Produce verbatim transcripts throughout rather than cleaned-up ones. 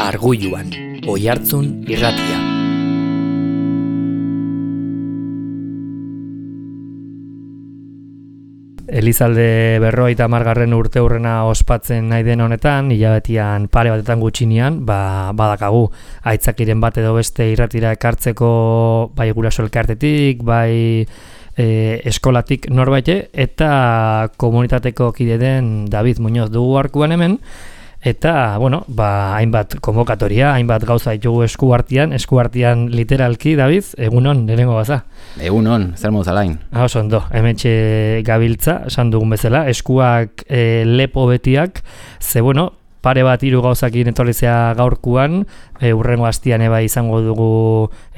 Argulluan, Oihartzun irratia. Elizalde berrogeita hamargarren urte hurrena ospatzen nahi den honetan, hilabetian pare batetan gutxinean, ba, badakagu aitzakiren bat edo beste irratira ekartzeko bai guraso elkartetik, bai e, eskolatik norbaite, eta komunitateko kide den David Muñoz dugu arkuan hemen, eta, bueno, ba, hainbat konbokatoria, hainbat gauza ditugu eskuartean, eskuartean literalki, David, egunon, lehenengo baza. Egunon, zer moduz alain? Ah, oso ondo, hementxe gabiltza, esan dugun bezala, eskuak e, lepo betiak, ze, bueno, pare bat hiru gauzakin etorrizea gaurkuan, e, urrengo astian eba izango dugu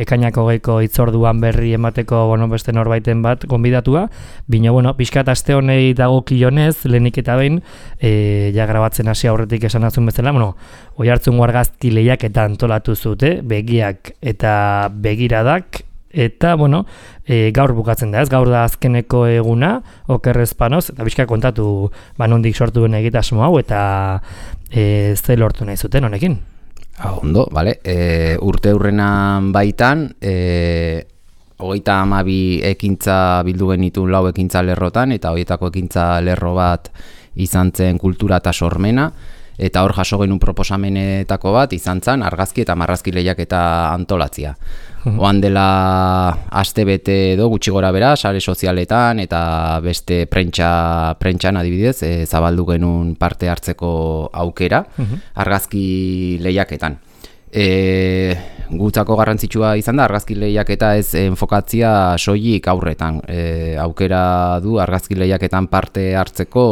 ekainako geiko hitzorduan berri emateko, bueno, beste norbaiten bat gonbidatua, bino, bueno, pixkat aste honei dagokionez, lehenik eta behin, e, ja grabatzen hasi aurretik esan azun bezala, bueno, Oihartzun argazki lehiaketa antolatu zute, begiak eta begiradak, eta, bueno, e, gaur bukatzen da, ez? Gaur da azkeneko eguna, okerrez panoz, eta bizka kontatu banondik sortu duen egitasmo hau, eta e, ze lortu nahi zuten honekin? Ah, ondo, bale. E, urte hurrenan baitan, e, hogeita hamabi ekintza bildu genitun lau ekintza lerrotan, eta horietako ekintza lerro bat izan zen kultura eta sormena, eta hor jaso genuen proposamenetako bat izan zen argazki eta marrazki lehiaketa antolatzia. Oan dela aste bete edo gutxi gora bera, sare sozialetan eta beste prentsa, prentsan adibidez, e, zabaldu genuen parte hartzeko aukera argazki lehiaketan. E, gutzako garrantzitsua izan da, argazki lehiaketa ez enfokatzia soilik aurretan. E, aukera du argazki lehiaketan parte hartzeko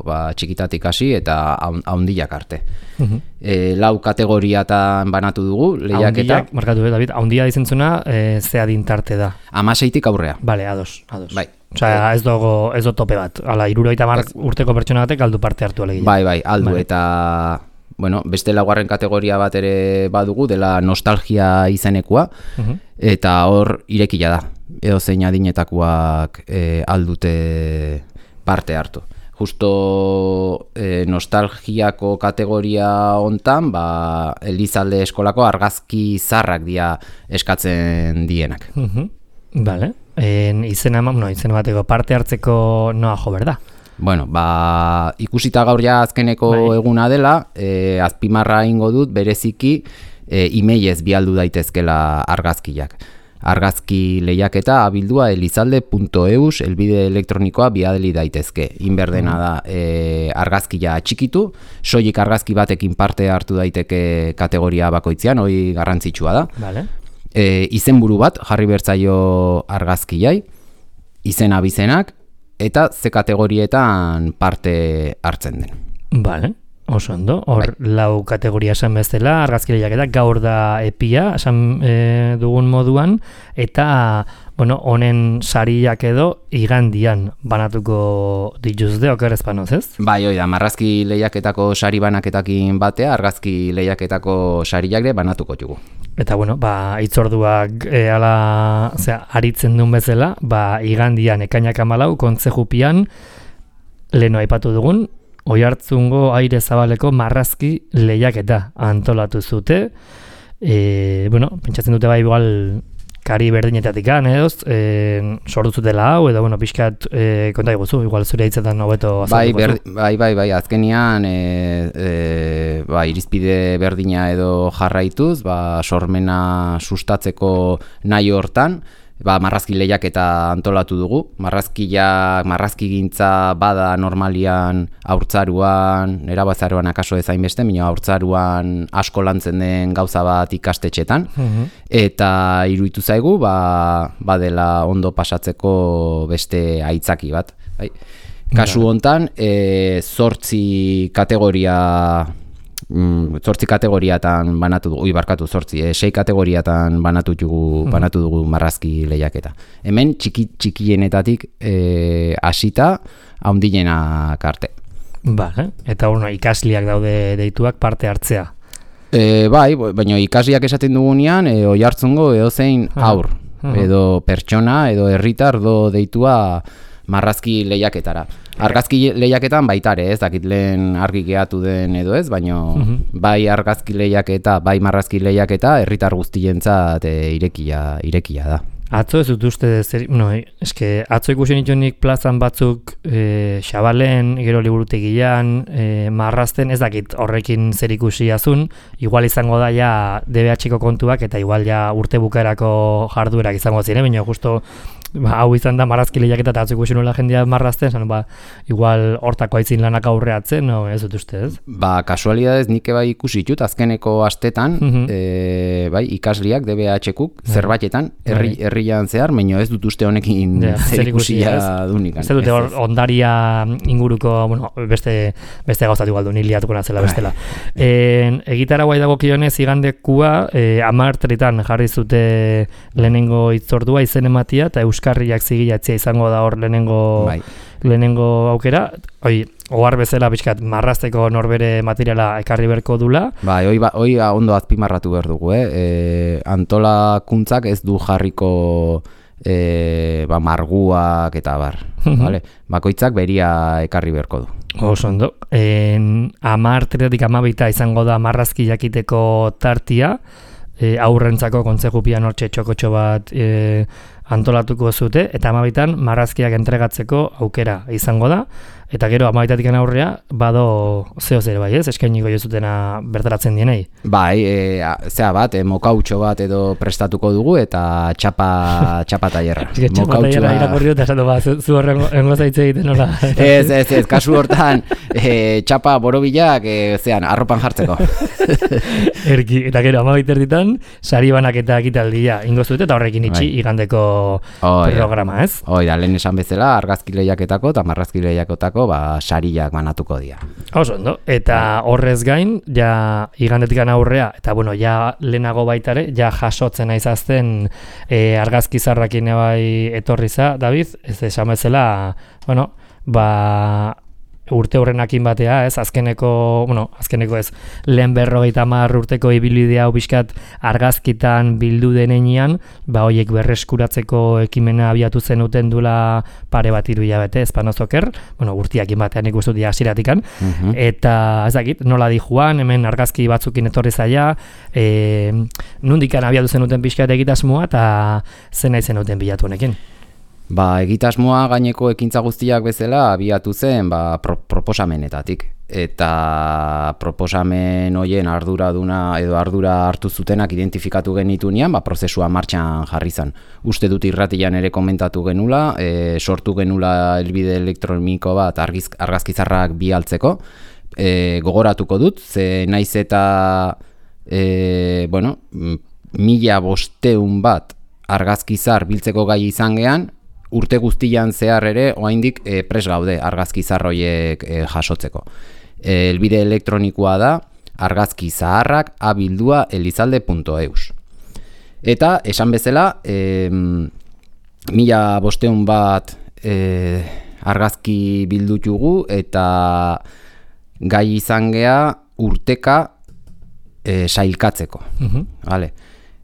ba, txikitatik hasi eta haundiak arte. Uh-huh. E, lau kategoriatan banatu dugu lehiaketa. Haundiak, markatu, eh, David, haundia dizentzuna e, ze adintarte da? Hamaseitik aurrea. Bale, ados, ados. Bai. Osea, ez dago, ez do tope bat. Hala, hirurogeita hamar urteko pertsona batek aldu parte hartu alegia. Bai, bai, aldu, vale. Eta bueno, beste laugarren kategoria bat ere badugu, dela nostalgia izenekoa, uh-huh. Eta hor irekila da, edo zein adinetakoak e, aldute parte hartu. Justo e, nostalgiako kategoria hontan, ba, Elizalde eskolako argazki zarrak dia eskatzen dienak. Uh-huh. Vale, en, izena, no, izena bateko parte hartzeko noa jo berda? Bueno, ba, ikusita gaur ja azkeneko bai. Eguna dela, e, azpimarra ingo dut bereziki e, emailez bialdu daitezkela argazkiak. Argazki lehiaketa abildua elizalde punto eus elbide elektronikoa biadeli daitezke. Inberdena da e, argazkia txikitu, soilik argazki batekin parte hartu daiteke kategoria bakoitzean, hori garrantzitsua da. Vale. E, izenburu bat jarri bertzaio argazkiai, izena bizenak, eta ze kategorietan parte hartzen den. Vale, oso ondo. Hor bai. Lau kategoria esan bezala, argazki lehiaketa gaur da epia, esan e, dugun moduan, eta bueno, honen sariak edo igandian banatuko dituzte, okerrez panoz, ez? Bai, oida, marrazki lehiaketako sari banaketakin batea, argazki lehiaketako sariak ere banatuko dugu. Eta bueno, ba, itzorduak e, ala, zera, aritzen duen bezala, ba, igandian ekainak amalau, kontzejupian, leheno aipatu dugun, Oihartzungo aire zabaleko marrazki lehiaketa antolatu zute. E, bueno, pentsatzen dute bai igual kari berdinetatik edoz, e, sortu zutela hau, edo, bueno, pixkat e, konta iguzu, igual zure hitzetan hobeto bai, bai, bai, bai, azkenian e, e, ba, irizpide berdina edo jarraituz, ba, sormena sustatzeko nahi hortan, ba, marrazki lehiaketa antolatu dugu. Marrazkiak, marrazkigintza bada normalian haurtzaruan, erabazaruan akaso ezain beste, minua haurtzaruan asko lantzen den gauza bat ikastetxetan, uh-huh. Eta iruditu zaigu, ba, badela ondo pasatzeko beste aitzaki bat. Bai. Kasu hontan, e, zortzi kategoria Mm, zortzi kategoriatan banatu dugu, ui barkatu, zortzi, eh, sei kategoriatan banatu dugu, hmm. banatu dugu marrazki lehiaketa. Hemen txiki, txikienetatik eh, hasita haundienak arte. Vale, eta bueno, ikasliak daude deituak parte hartzea. E, bai, baina ikasliak esaten dugunean, e, Oihartzungo edozein haur, uh-huh. edo pertsona, edo herritar, edo deitua marrazki lehiaketara. Argazki lehiaketan baita ere, ez dakit lehen argi gehatu den edo ez, baina mm-hmm. bai argazki lehiaketa, bai marrazki lehiaketa herritar guztientzat e, irekia, irekia da. Atzo ez dut uste, zer, no, eske, atzo ikusi nituenik plazan batzuk e, xabalen, gero liburutegian, e, marrazten, ez dakit horrekin zer ikusi azun, igual izango da ja D B H-ko kontuak eta igual ja urte bukaerako jarduerak izango ziren, baina justo ba, hau izan da marrazki lehiaketa eta atzo ikusi nola jendea marrazten, zan, ba, igual hortako aitzin lanak aurreatzen, no, ez dut uste, ez? Ba, kasualidadez nik bai ikusi ditut, azkeneko astetan, mm-hmm. e, bai, ikasliak D B H-kuk zerbaitetan, herri, herrian zehar, baina ez dut uste honekin ja, zer ikusia dunikan. Ez dute hor, ondaria inguruko, bueno, beste, beste gauzatu galdu, niliatuko nazela bestela. e, egitara guai dago kionez, igandekua, e, amartritan jarri zute lehenengo itzordua izen ematia, eta euskarriak zigilatzea izango da hor lehenengo, bai. lehenengo aukera. Oi, ohar bezala pixkat marrazteko norbere materiala ekarri berko dula. Bai, hoi, ba, hoi ondo azpimarratu behar dugu, eh? E, antolakuntzak ez du jarriko e, ba, marguak eta bar. Vale? Bakoitzak beria ekarri berko du. Oso ondo. En, amar tretatik amabita izango da marrazki jakiteko tartia, e, aurrentzako kontzejupian hortxe txokotxo bat e, antolatuko zute, eta amabitan marrazkiak entregatzeko aukera izango da, eta gero amabitatik aurrea bado zeo zer bai ez, eskainiko jozutena bertaratzen dienei. Bai, e, zea bat, e, mokautxo bat edo prestatuko dugu, eta txapa, txapa taierra. Txapa taierra irakurri dut, esatu ba, zu horrengo zaitze egiten nola. Ez, ez, ez, kasu hortan, e, txapa borobilak, e, zean, arropan jartzeko. Erki, eta gero amabiter ditan, sari banak eta ekitaldia ingo zute, eta horrekin itxi bai. Igandeko oh, programa, ez? Hoi da, lehen esan bezala, argazki lehiaketako eta marrazki lehiaketako ba, sariak banatuko dira. Oso, ondo. Eta horrez gain, ja igandetikan aurrea, eta bueno, ja lehenago baitare, ja jasotzen aizazten e, argazki zarrakin bai etorriza, David, ez esan bezala, bueno, ba... urte horrenakin batea, ez, azkeneko, bueno, azkeneko ez, lehen berrogeita hamar urteko ibilbidea hau pixkat argazkitan bildu denean, ba hoiek berreskuratzeko ekimena abiatu zenuten duela pare bat hiru hilabete, ez panozoker, bueno, urtiakin batean ikustu dira hasieratikan, uh-huh. eta ez dakit, nola di Juan, hemen argazki batzukin etorri zaia, e, nundikan abiatu zenuten pixkat egitasmoa, eta zen nahi zenuten bilatu honekin. Ba, egitasmoa gaineko ekintza guztiak bezala abiatu zen ba, pro, proposamenetatik. Eta proposamen hoien arduraduna edo ardura hartu zutenak identifikatu genitunean, ba, prozesua martxan jarri zen. Uste dut irratian ere komentatu genula, e, sortu genula helbide elektroniko bat argiz, argazkizarrak bialtzeko. E, gogoratuko dut, ze naiz eta e, bueno, mila bosteun bat argazkizar biltzeko gai izan gean, urte guztian zehar ere oraindik e, pres gaude argazkizar horiek e, jasotzeko. E, helbide elektronikoa da argazkizaharrak abildua elizalde punto eus. Eta esan bezala, e, mila bosteun bat e, argazki bildutugu eta gai izan gea urteka e, sailkatzeko. Uh-huh. Vale.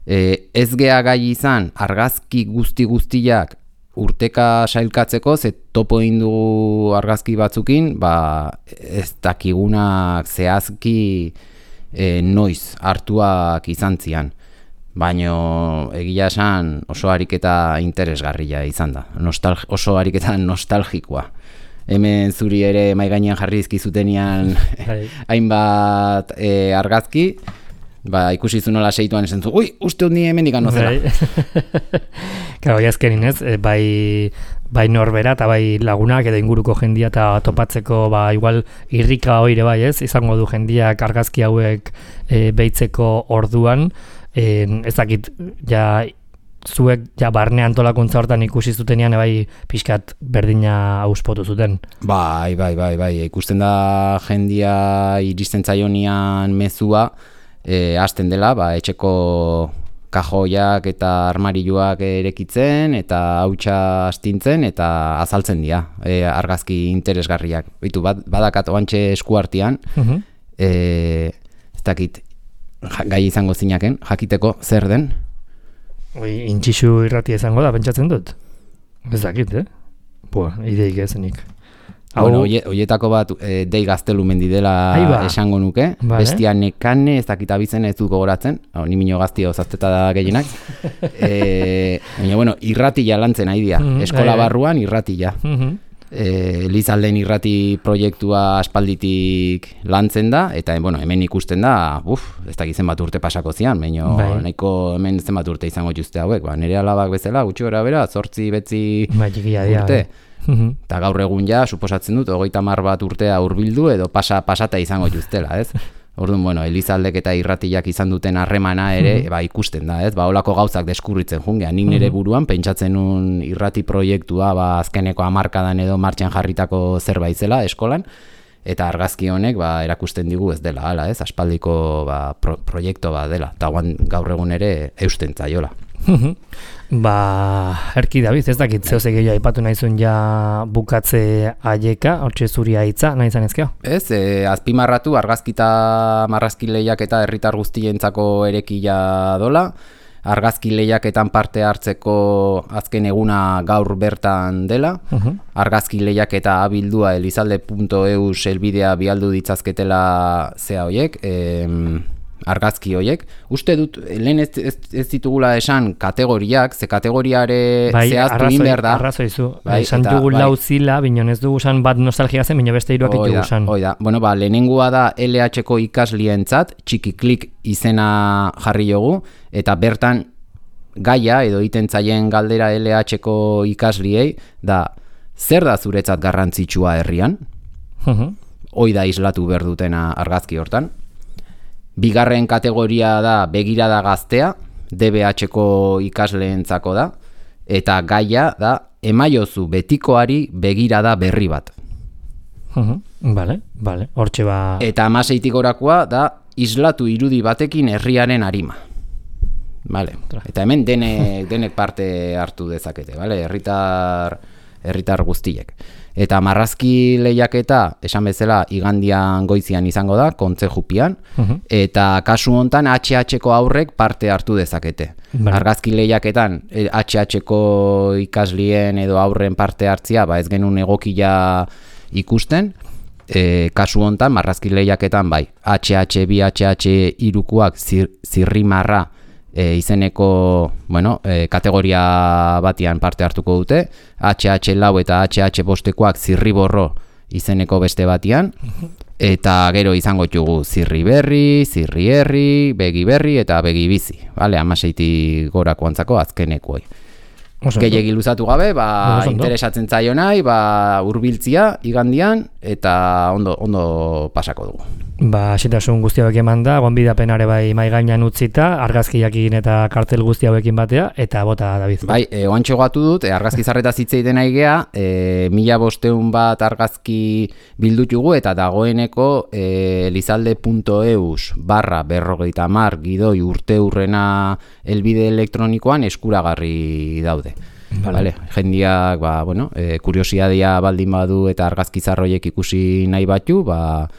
E, ez gea gai izan argazki guzti guztiak urteka sailkatzeko, ze topo egin dugu argazki batzukin, ba, ez dakigunak zehazki e, noiz hartuak izan zian. Baina egia esan oso ariketa interesgarria izan da, Nostal- oso ariketa nostalgikoa. Hemen zuri ere mai gainean jarri dizkizutenean hainbat e, argazki, ba, ikusi zu nola seituan esan zu, ui, uste hon ni hemen dikan nozela. Claro, jazkenin ez, bai, bai norbera eta bai lagunak edo inguruko jendia eta topatzeko, ba, igual irrika hoire bai ez, izango du jendiak argazki hauek e, behitzeko orduan, e, ez dakit, ja, zuek ja barne antolakuntza hortan ikusi zutenean bai pixkat berdina auspotu zuten. Bai, bai, bai, bai, ikusten da jendia iristen zaionian mezua, e, hasten dela, ba, etxeko kajoiak eta armarioak erekitzen eta hautsa astintzen eta azaltzen dira e, argazki interesgarriak. Bitu, bad, badakat oantxe eskuartian, uh-huh. e, ez dakit gai izango zinaken, jakiteko zer den. Oi, intxixu irratia izango da, pentsatzen dut. Ez dakit, eh? Boa, ideik ezenik. Bueno, hoietako bat e, Dei Gaztelumendi dela Aiba. esango nuke. Vale. Bestia Nekane, ez dakit abizena ez dut gogoratzen. No, ni mino gaztia ozazteta da gehienak. e, baina, bueno, irratila lantzen nahi dira. Mm-hmm. Eskola barruan irratila. Mm-hmm. E, Elizalden irrati proiektua aspalditik lantzen da, eta bueno, hemen ikusten da, uf, ez dakit zenbat urte pasako zian, baina bai. nahiko hemen zenbat urte izango juzte hauek, ba, nire alabak bezala, gutxi gara bera, zortzi, betzi bai, urte. Eta gaur egun ja, suposatzen dut, hogeita hamar bat urtea hurbildu edo pasa, pasata izango juztela, ez? Orduan, bueno, Elizaldek eta irratiak izan duten harremana ere, mm-hmm. ba, ikusten da, ez? Ba, holako gauzak deskurritzen jungean. Nik nire buruan pentsatzen nun irrati proiektua, ba, azkeneko hamarkadan edo martxan jarritako zerbait zela eskolan, eta argazki honek, ba, erakusten digu ez dela, hala, ez? Aspaldiko, ba, pro, proiektu bat dela, eta gaur egun ere eusten zaiola. Ba, erki David, ez dakit zehose gehiago aipatu nahizun ja bukatze aieka, hortxe zuria hitza, nahi izan ezkeo? Ez, e, azpimarratu argazkita marrazki lehiak eta herritar guztientzako erekia dola, argazki lehiaketan parte hartzeko azken eguna gaur bertan dela, uh-huh. argazki lehiaketa abildua elizalde puntu e u helbidea bialdu ditzazketela zea hoiek, em, argazki hoiek. Uste dut, lehen ez, ez, ez ditugula esan kategoriak, ze kategoriare bai, zehaztu egin behar da. Arrazoi zu, bai, esan dugu bai. Lau zila, bino ez dugu esan bat nostalgia zen, bino beste hiruak ditugu esan. Oida, bueno, ba, lehenengoa da L H-ko ikaslientzat, txiki klik izena jarri jogu, eta bertan gaia edo iten zaien galdera L H-ko ikasliei, da, zer da zuretzat garrantzitsua herrian? Uh-huh. Oida islatu behar dutena argazki hortan. Bigarren kategoria da begirada gaztea, D B H-ko ikasleentzako da, eta gaia da emaiozu betikoari begirada berri bat. Uh-huh. Vale, vale, hortxe ba... Eta hamaseitik gorakoa da islatu irudi batekin herriaren arima. Vale. Eta hemen denek, denek parte hartu dezakete, vale? Herritar, herritar guztiek. Eta marrazki lehiaketa, esan bezala, igandian goizian izango da, kontzejupian, uh-huh. eta kasu hontan H H-ko aurrek parte hartu dezakete. Vale. Argazki lehiaketan H H-ko ikaslien edo aurren parte hartzia, ba ez genuen egokia ikusten, e, kasu hontan marrazki lehiaketan bai, H H, bi H H irukuak zir, zirrimarra E, izeneko bueno, e, kategoria batian parte hartuko dute, H H lau eta H H bostekoak zirriborro izeneko beste batian, eta gero izango ditugu zirri berri, zirri herri, begi berri eta begi bizi, vale, hamaseitik gorako antzako azkenekoi. Gehiegi luzatu gabe, ba, interesatzen zaio nahi, ba, hurbiltzia igandian, eta ondo, ondo pasako dugu. Ba, xetasun guzti hauek eman da, gonbidapenare bai mai gainean utzita, argazkiakin eta kartel guzti hauekin batea, eta bota David. Bai, e, oantxo gatu dut, e, argazki zarreta zitzeiten nahi gea, e, mila bosteun bat argazki bildutugu, eta dagoeneko e, elizalde puntu e u barra berrogeita mar gidoi urte urrena helbide elektronikoan eskuragarri daude. Vale. Vale. Jendiak, ba, bueno, e, kuriosiadia baldin badu eta argazki zarroiek ikusi nahi batu, ba,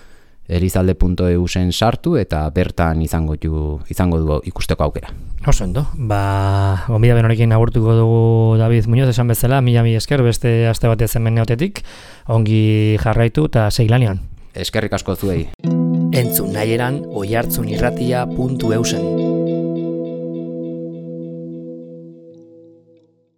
elizalde puntu e u zen sartu eta bertan izango du, izango du ikusteko aukera. Oso ondo, ba, gonbidapen honekin agurtuko dugu David Muñoz esan bezala, mila mi esker beste aste batez hemen neotetik, ongi jarraitu eta seilanean. Eskerrik asko zuei. Entzun nahi eran oihartzunirratia puntu eusen.